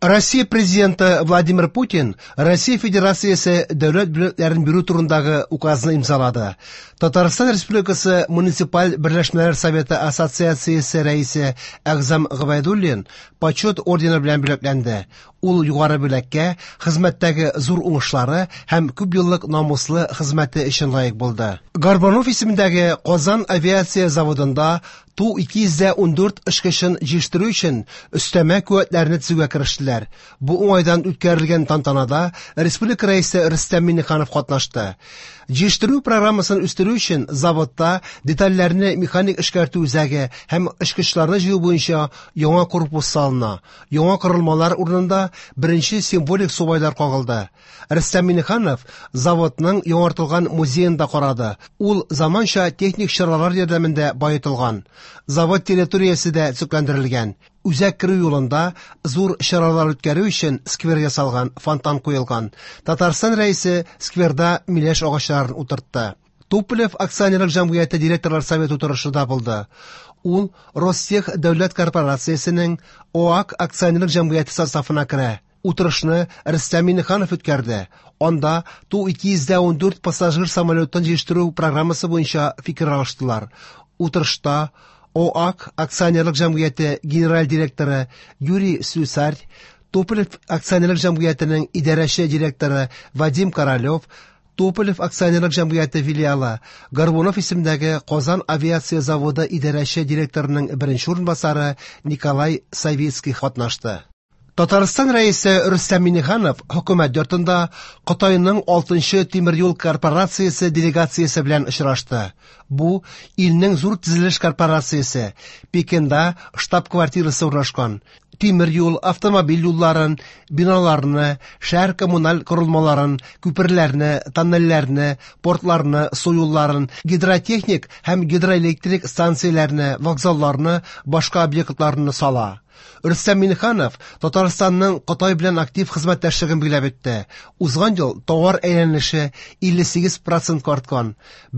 Россия Президенты Владимир Путин Россия Федерациясе дәүләт бүләкләрен бирү турындагы указны имзалады. Татарстан Республикасы Муниципаль берләшмәләр советы ассоциациясе рәисе Әгъзам Гобәйдуллин Почет ордены белән бүләкләнде. Ул югары бүләккә хезмәттәге зур уңышлары һәм күпьеллык намуслы хезмәте өчен лаек булды. Горбунов исемендәге Казан авиация заводында Ту-214 очкычын җитештерү өчен өстәмә куәтләрне төзүгә керештеләр. Бу уңайдан үткәрелгән тантанада республика Рәисе Рөстәм Миңнеханов катнашты. Җитештерү программасын үстерү өчен заводта детальләрне механик эшкәртү үзәге һәм очкычларны җыю буенча яңа корпус салына. Яңа корылмалар урынында беренче символик субайлар кагылды. Рөстәм Миңнеханов заводның яңартылган музеен да карады. Ул заманча техник чаралар ярдәмендә баетылган. Завод территориясе дә төзекләндерелгән. Үзәк керү юлында зур чаралар үткәрү өчен сквер ясалган, фонтан куелган. Татарстан Рәисе скверда миләш агачларын утыртты. Туполев акционерлык җәмгыяте директорлар советы утырышы да булды. Ул Ростех дәүләт корпорациясенең ОАК акционерлык җәмгыяте составына керә. Утырышны Рөстәм Миңнеханов үткәрде. Анда Ту-214 пассажир самолетын җитештерү программасы буенча фикер алыштылар. Утырышта ОАК акционерлык җәмгыяте генераль директоры Юрий Слюсарь, Туполев акционерлык җәмгыятенең идарәче директоры Вадим Королев, Туполев акционерлык җәмгыяте филиалы, Горбунов исемендәге Казан авиация заводы идарәче директорының беренче урынбасары Николай Савицкий катнашты. Татарстан Рәисе Рөстәм Миңнеханов хөкүмәт йортында Кытайның 6нчы тимер юл корпорациясе делегациясе белән очрашты. Бу илнең зур төзелеш корпорациясе, Пекинда штаб-квартирасы урнашкан. Тимер юл, автомобиль юлларын, биналарны, шәһәр коммуналь корылмаларын, күперләрне, тоннельләрне, портларны, су юлларын, гидротехник һәм гидроэлектрик станцияләрне, вокзалларны, башка объектларны сала. Рөстәм Миңнеханов Татарстанның Кытай белән актив хезмәттәшлеген билгеләп үтте. Узган ел товар әйләнеше 58 процентка арткан,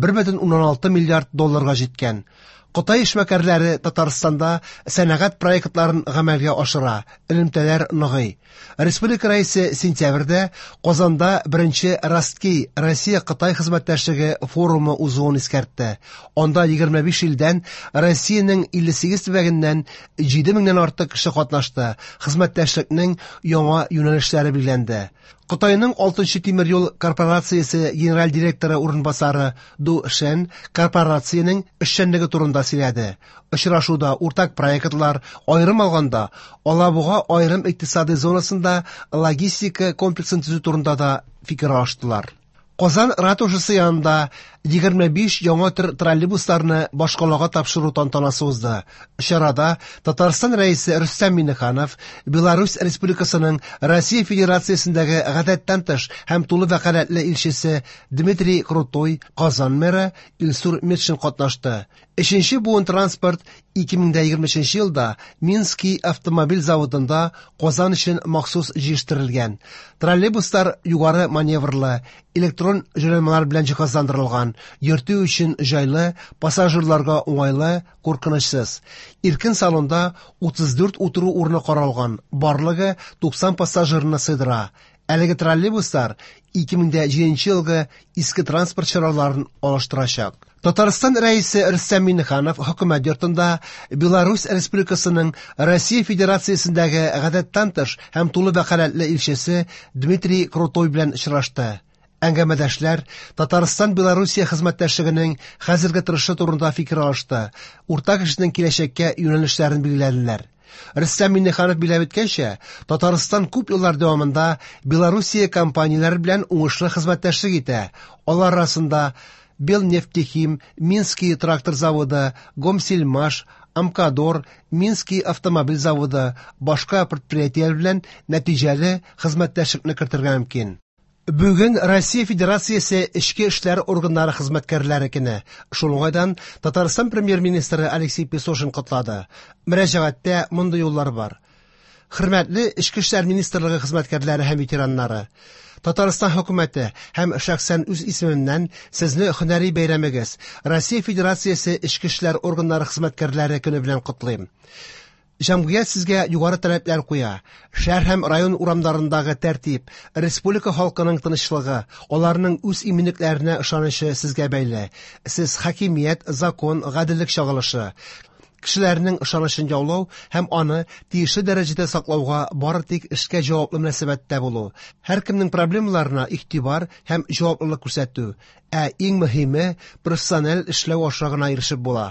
1,6 миллиард долларга җиткән. Кытай эшмәкәрләре Татарстанда сәнәгать проектларын гамәлгә ашыра, элемтәләр ныгый. Республика Рәисе сентябрьдә Казанда беренче Ростки Россия-Кытай хезмәттәшлеге форумы узуын искәртте. Анда 25 илдән, Россиянең 58 төбәгеннән 7 меңнән артык кеше катнашты, хезмәттәшлекнең яңа юнәлешләре билгеләнде. Кытайның 6нчы тимер юл корпорациясе генераль директоры урынбасары Ду Шен корпорациянең эшчәнлеге турында сөйләде. Очрашуда уртак проектлар, аерым алганда, Алабуга аерым икътисади зонасында логистика комплексын төзү турында да фикер алыштылар. Казан ратушасы янында 25 яңа төр троллейбусларны башкалага тапшыру тантанасы узды. Чарада Татарстан Рәисе Рөстәм Миңнеханов, Беларусь Республикасының Россия Федерациясендәге гадәттән тыш һәм тулы вәкаләтле илчесе Дмитрий Крутой, Казан мэры Илсур Метшин катнашты. Өченче буын транспорт 2023 елда Минский автомобиль заводында Казан өчен махсус җитештерелгән. Троллейбуслар югары маневрлы, электрон җайланмалар белән җиһазландырылган, йөртү өчен җайлы, пассажирларга уңайлы, куркынычсыз. Иркен салонда 34 утыру урыны каралган, барлыгы 90 пассажирны сыйдыра. Әлеге троллейбуслар 2007 елгы иске транспорт чараларын алыштырачак. Татарстан Рәисе Рөстәм Миңнеханов хөкүмәт йортында Беларусь Республикасының Россия Федерациясендәге гадәттән тыш һәм тулы вәкаләтле илчесе Дмитрий Крутой белән очрашты. Әңгәмәдәшләр Татарстан-Белоруссия хезмәттәшлегенең хәзерге торышы турында фикер алышты, уртак эшнең киләчәккә юнәлешләрен билгеләделәр. Рөстәм Миңнеханов билгеләп үткәнчә, Татарстан күп еллар дәвамында Белоруссия компанияләре белән уңышлы хезмәттәшлек итә. Алар арасында Белнефтехим, Минский трактор заводы, Гомсельмаш, Амкадор, Минский автомобиль заводы, башка предприятиеләр белән нәтиҗәле хезмәттәшлекне кертергә мөмкин. Бүген Россия Федерациясе эчке эшләр органнары хезмәткәрләре көне. Шул уңайдан Татарстан премьер-министры Алексей Песошин котлады. Мөрәҗәгатьтә мондый юллар бар. Хөрмәтле Эчке эшләр министрлыгы хезмәткәрләре һәм ветераннары, Татарстан хөкүмәте һәм шәхсән үз исемемнән сезне һөнәри бәйрәмегез, Россия Федерациясе Эчке эшләр органнары хезмәткәрләре көне белән котлыйм. Җәмгыять сезгә югары таләпләр куя. Шәһәр һәм район урамнарындагы тәртип, республика халкының тынычлыгы, аларның үз иминлекләренә ышанычы сезгә бәйле. Сез хакимият, закон, гаделлек чагылышы. Кешеләрнең ышанычын яулау һәм аны тиешле дәрәҗәдә саклауга бары тик эшкә җаваплы мөнәсәбәттә булу, һәркемнең проблемаларына игътибар һәм җаваплылык күрсәтү, ә иң мөһиме профессиональ эшләү аша гына ирешеп була.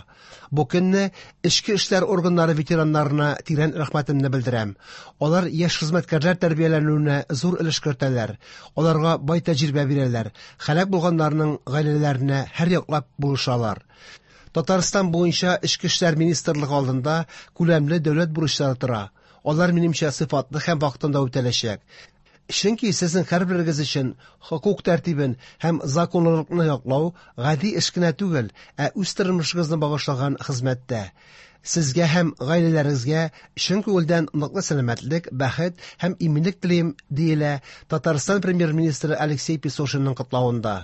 Бу көнне эчке эшләр органнары ветераннарына тирән рәхмәтемне белдерәм. Алар яшь хезмәткәрләр тәрбияләнүенә зур өлеш кертәләр, аларга бай тәҗрибә бирәләр, һәлак булганнарның гаиләләренә һәрьяклап булышалар. Татарстан буенча Эчке эшләр министрлыгы алдында күләмле дәүләт бурычлары тора. Алар, минемчә, сыйфатлы һәм вакытында үтәләчәк. Чөнки сезнең һәрберегез өчен хокук тәртибен һәм законлылыкны яклау гади эш кенә түгел, ә үз тормышыгызны багышлаган хезмәт тә. Сезгә һәм гаиләләрегезгә чын күңелдән ныклы сәламәтлек, бәхет һәм иминлек телим, диелә Татарстан Премьер-министры Алексей Песошинның котлавында.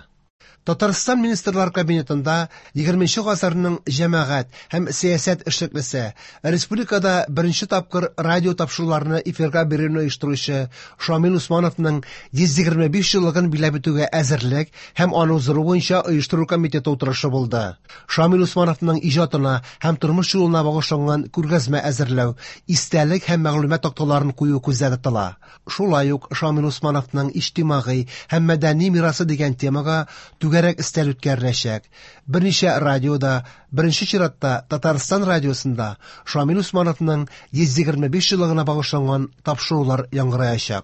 Татарстан Министрлар Кабинетында 20 гасырның җәмәгать һәм сәясәт эшлеклесе, республикада беренче тапкыр радио тапшыруларны эфирга бирүне оештыручы Шамил Усмановның 125 еллыгын билгеләп үтүгә әзерлек һәм аны уздыру буенча оештыру комитеты утырышы булды. Шамил Усмановның иҗатына һәм тормыш юлына багышланган күргәзмә әзерләү, истәлек һәм мәгълүмат такталарын кую күздә тотыла. Шулай ук Шамил Усмановның иҗтимагый һәм мәдәни мирасы дигән темага түгәрәк өстәл үткәреләчәк. Берничә радиода, беренче чиратта Татарстан радиосында Шамил Усмановның 125 еллыгына багышланган тапшырулар яңгыраячак.